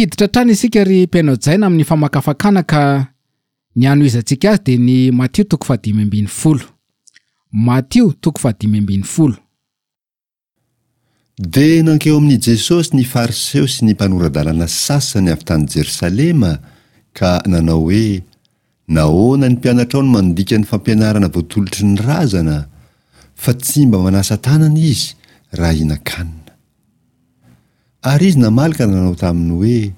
Hiditra hatrany isika ry mpihaino hajaina amin'ny famakafakana ka ny hanohizantsika azy dia ny Matio toko fahadimy ambin'ny folo. Matio toko fahadimy ambin'ny folo. Dia nankeo amin'i Jesosy ny Fariseo sy ny mpanora-dalàna sasany avy tany Jerosalema ka nanao hoe, Nahoana ny mpianatrao no mandika ny fampianarana voatolotry ny razana, fa tsy mba manasa tanana izy raha hihinan-kanina? Ary izy namaly ka nanao taminy hoe,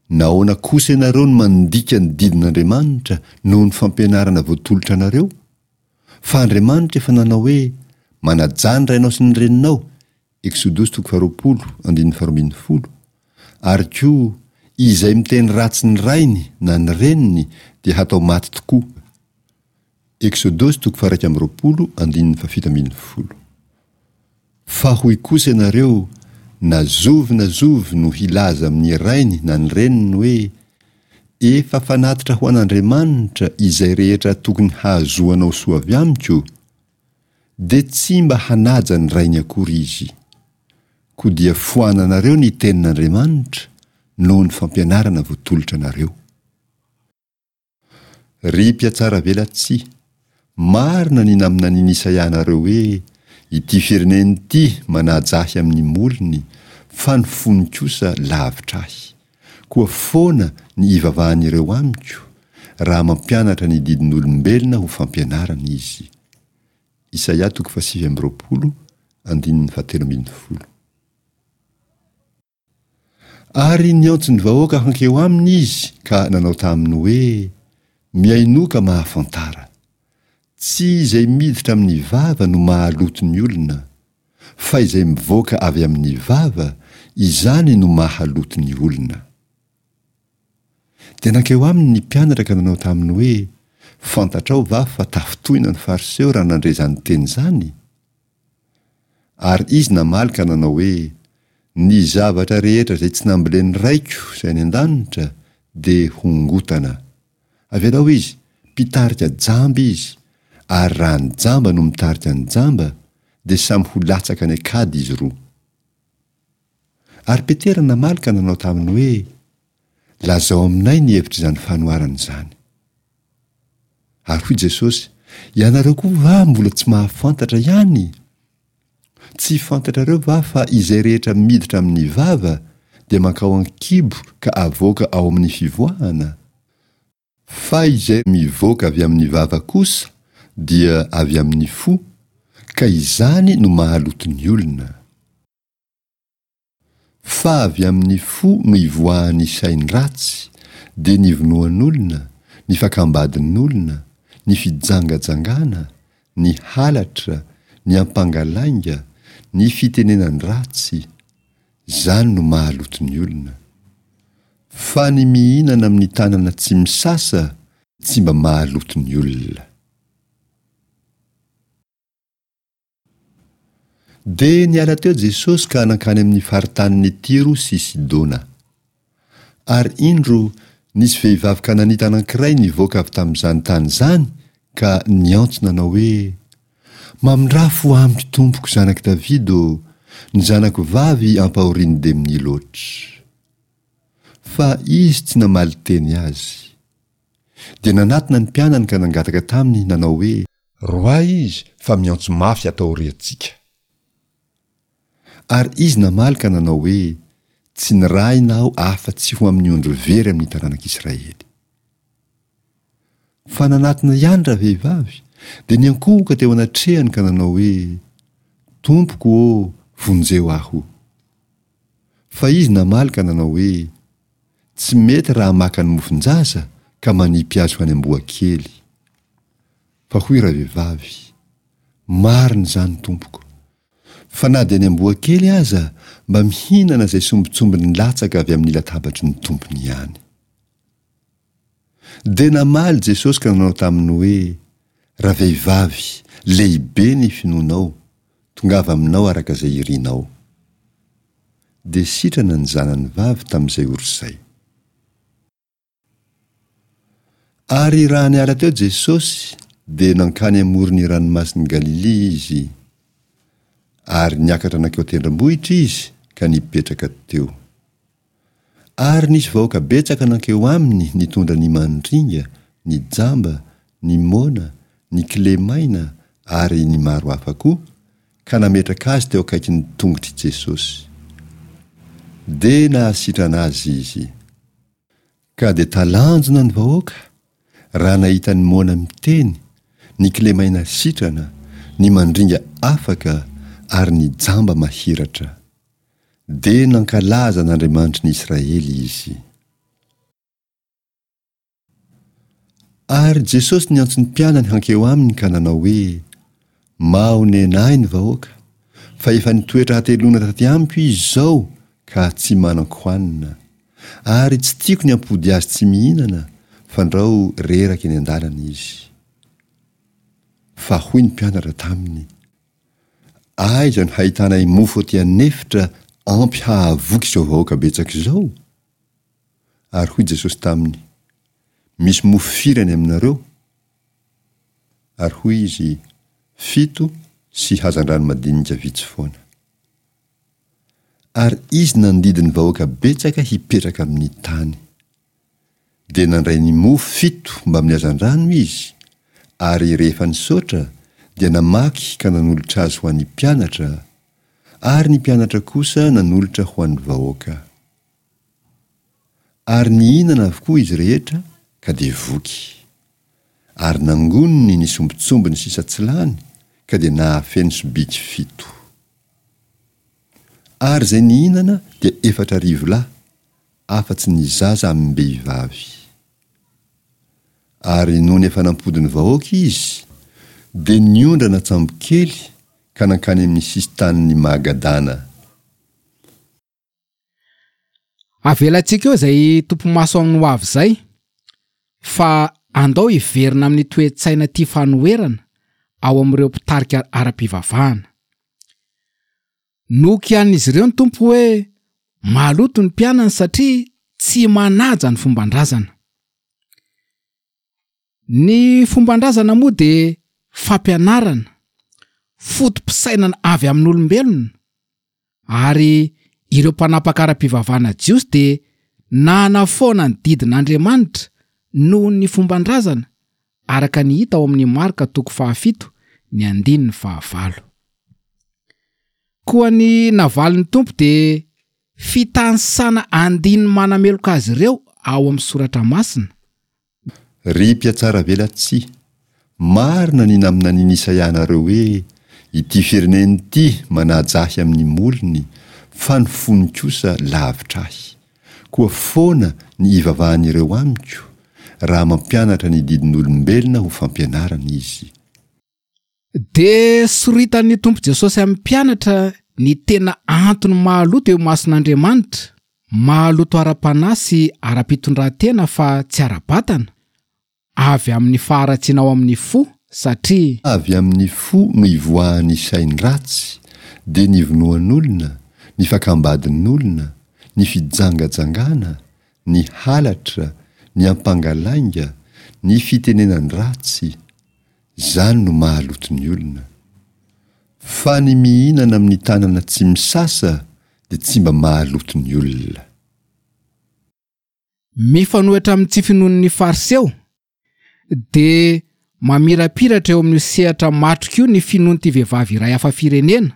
Nahoana kosa ianareo no mandika ny didin'Andriamanitra noho ny fampianarana voatolotra anareo? Fa Andriamanitra efa nanao hoe, Manajà ny rainao sy ny reninao, Eksodosy toko faharoapolo, andininy faharoa ambin'ny folo, ary koa, Izay miteny ratsy ny rainy na ny reniny dia hatao maty tokoa, Eksodosy toko faha-21, andininy fahafito ambin'ny folo. Fa hoy kosa ianareo, Na zovy na zovy no hilaza amin'ny rainy na ny reniny hoe, Efa fanatitra ho an'Andriamanitra izay rehetra tokony hahazoanao soa avy amiko, dia tsy mba hanaja ny rainy akory izy. Koa dia foananareo ny tenin'Andriamanitra noho ny fampianarana voatolotra anareo. Ry mpihatsaravelatsihy, marina ny naminanian'i Isaia anareo hoe, Ity firenena ity manaja ahy amin'ny molony, fa ny fony kosa lavitra ahy. Koa foana ny ivavahan'ireo amiko, raha mampianatra ny didin'olombelona ho fampianarana izy. Isaia toko fahasivy amby roapolo, andininy fahatelo ambin'ny folo. Ary niantso ny vahoaka hankeo aminy izy ka nanao taminy hoe, Mihainoa ka mahafantara. Tsy izay miditra amin'ny vava no mahaloto ny olona, fa izay mivoaka avy amin'ny vava, izany no mahaloto ny olona. Dia nankeo aminy ny mpianatra ka nanao taminy hoe, Fantatrao va fa tafintohina ny Fariseo raha nandre izany teny izany? Ary izy namaly ka nanao hoe, Ny zavatra rehetra izay tsy nambolen'ny Raiko izay any an-danitra dia hongotana. Avelao izy, mpitarika jamba izy, ary raha ny jamba no mitarika ny jamba, dia samy ho latsaka any an-kady izy roa. Ary Petera namaly ka nanao taminy hoe, Lazao aminay ny hevitr'izany fanoharana izany. Ary hoy Jesosy, Ianareo koa va mbola tsy mahafantatra ihany? Tsy fantatrareo va fa izay rehetra miditra amin'ny vava dia mankao an-kibo ka avoaka ao amin'ny fivoahana? Fa izay mivoaka avy amin'ny vava kosa dia avy amin'ny fo, ka izany no mahaloto ny olona. Fa avy amin'ny fo no ivoahan'ny sain-dratsy, dia ny vonoan'olona, ny fakam-badin'olona, ny fijangajangana, ny halatra, ny ampangalainga, ny fitenenan-dratsy. Izany no mahaloto ny olona. Fa ny mihinana amin'ny tanana tsy misasa tsy mba mahaloto ny olona. Dia niala teo Jesosy ka nankany amin'ny faritanin'i Tyro sy Sidona. Ary indro, nisy vehivavy kananita anankiray nivoaka avy tamin'izany tany izany ka niantso nanao hoe, Mamindrà fo amiko, Tompoko, zanak'i Davida ô, ny zanako vavy ampahorian'ny demonia loatra. Fa izy tsy namaly teny azy. Dia nanatona ny mpianany ka nangataka taminy nanao hoe. Roahy izy fa miantso mafy ato aoriantsika. Ary izy namaly ka nanao hoe, Tsy nirahina aho afa-tsy ho amin'ny ondry very amin'ny taranak'Israely. Fa nanatona ihany ravehivavy, dia niankohoka teo anatrehany ka nanao hoe, Tompoko ô, vonjeo aho. Fa izy namaly ka nanao hoe, Tsy mety raha maka ny mofon-jaza ka manipy azy ho any amboa kely. Fa hoy ravehivavy, Marina izany, tompoko. Fa na dia ny amboa kely aza mba mihinana izay sombintsombiny latsaka avy amin'ny latabatry ny tompony ihany. Dia namaly Jesosy ka nanao taminy hoe, Ravehivavy, lehibe ny finoanao, tongava aminao araka izay irinao. Dia sitrana ny zanany vavy tamin'izay ora izay. Ary raha niala teo Jesosy, dia nankany amoron'ny ranomasin'i Galilia Izy. Ary niakatra nankeo an-tendrombohitra Izy ka nipetraka teo. Ary nisy vahoaka betsaka nankeo aminy nitondra ny mandringa, ny jamba, ny moana, ny kilemaina ary ny maro hafa koa, ka nametraka azy teo akaikin'ny tongotr'i Jesosy. Dia nahasitrana azy izy. Ka dia talanjona ny vahoaka raha nahita ny moana miteny, ny kilemaina sitrana, ny mandringa afaka ary ny jamba mahiratra. Dia nankalaza an'Andriamanitry ny Israely izy. Ary Jesosy niantso ny mpianany hankeo aminy ka nanao hoe, Mahonena ahy ny vahoaka, fa efa nitoetra hateloana taty amiko izy izao ka tsy manan-kohanina. Ary tsy tiako ny hampody azy tsy mihinana, fandrao reraka eny an-dalana izy. Fa hoy ny mpianatra taminy, Aiza no hahitanay mofo aty an'efitra ampy hahavoky izao vahoaka betsaka izao? Ary hoy Jesosy taminy, Misy mofo firy any aminareo? Ary hoy izy, Fito sy hazandrano madinika vitsy foana. Ary izy nandidy ny vahoaka betsaka hipetraka amin'ny tany. Dia nandray ny mofo fito mbamin'ny hazandrano izy, ary rehefa nisaotra, dia namaky ka nanolotra azy ho an'ny mpianatra, ary ny mpianatra kosa nanolotra ho an'ny vahoaka. Ary nihinana avokoa izy rehetra ka dia voky. Ary nangoniny ny sombintsombiny sisa tsy lany ka dia nahafeno sobiky fito. Ary izay nihinana dia 4000 lahy, afa-tsy ny zaza amim-behivavy. Ary nony efa nampody ny vahoaka izy, dia niondrana an-tsambokely ka nankany amin'ny sisin-tanin'i Magadana. Avelantsika eo izay topi-maso amin'ny ho avy izay fa andao hiverina amin'ny toe-tsaina tia fanoherana ao amin'ireo mpitarika ara-pivavahana. Nokianin'izy ireo ny Tompo hoe maloto ny mpianany satria tsy manaja ny fomban-drazana. Ny fomban-drazana moa dia fampianarana, foto-pisainana avy amin'olombelona Ary ireo mpanapaka ara-pivavahana jiosy dia nanafoana ny didin'Andriamanitra noho ny fomban-drazana, araka ny hita ao amin'ny Marka toko fahafito ny andininy fahavalo. Koa ny navalin'ny Tompo dia fitanisana andininy manameloka azy ireo ao amin'ny Soratra Masina, Ry mpihatsaravelatsihy, marina ny naminanian'i Isaia anareo hoe, Ity firenena ity manaja ahy amin'ny molony, fa ny fony kosa lavitra ahy. Koa foana ny ivavahan'ireo amiko, raha mampianatra ny didin'olombelona ho fampianarana izy. Dia soritan'ny Tompo Jesosy amin'ny mpianatra ny tena antony mahaloto eo imason'Andriamanitra, mahaloto ara-panahy sy ara-pitondrantena fa tsy ara-batana, avy amin'ny faharatsiana ao amin'ny fo, satria. Avy amin'ny fo no ivoahan'ny sain-dratsy, dia ny vonoan'olona, ny fakam-badin'olona, ny fijangajangana, ny halatra, ny ampangalainga, ny fitenenan-dratsy, Izany no mahaloto ny olona. Fa ny mihinana amin'ny tanana tsy misasa dia tsy mba mahaloto ny olona. Mifanohitra amin'ny tsy finoan'ny Fariseo, dia mamirapiratra eo amin'io sehatra matroka io ny finoan'ity vehivavy iray hafa firenena,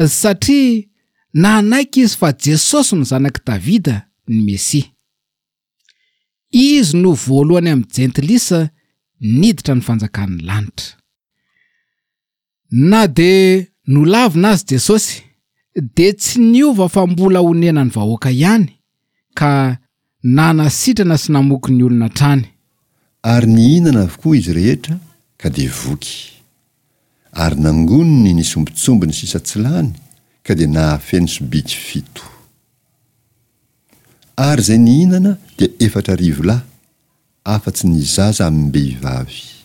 satria nanaiky izy fa Jesosy no Zanak'i Davida, ny Mesia. Izy no voalohany amin'ny jentilisa niditra ny fanjakan'ny lanitra. Na dia nolavina azy Jesosy, dia tsy niova fa mbola onenan'ny vahoaka ihany, ka nanasitrana sy namoky ny olona hatrany. Ary nihinana avokoa izy rehetra ka dia voky. Ary nangoniny ny sombintsombiny sisa tsy lany ka dia nahafeno sobiky fito. Ary izay nihinana dia 4000 lahy, afa-tsy ny zaza amim-behivavy.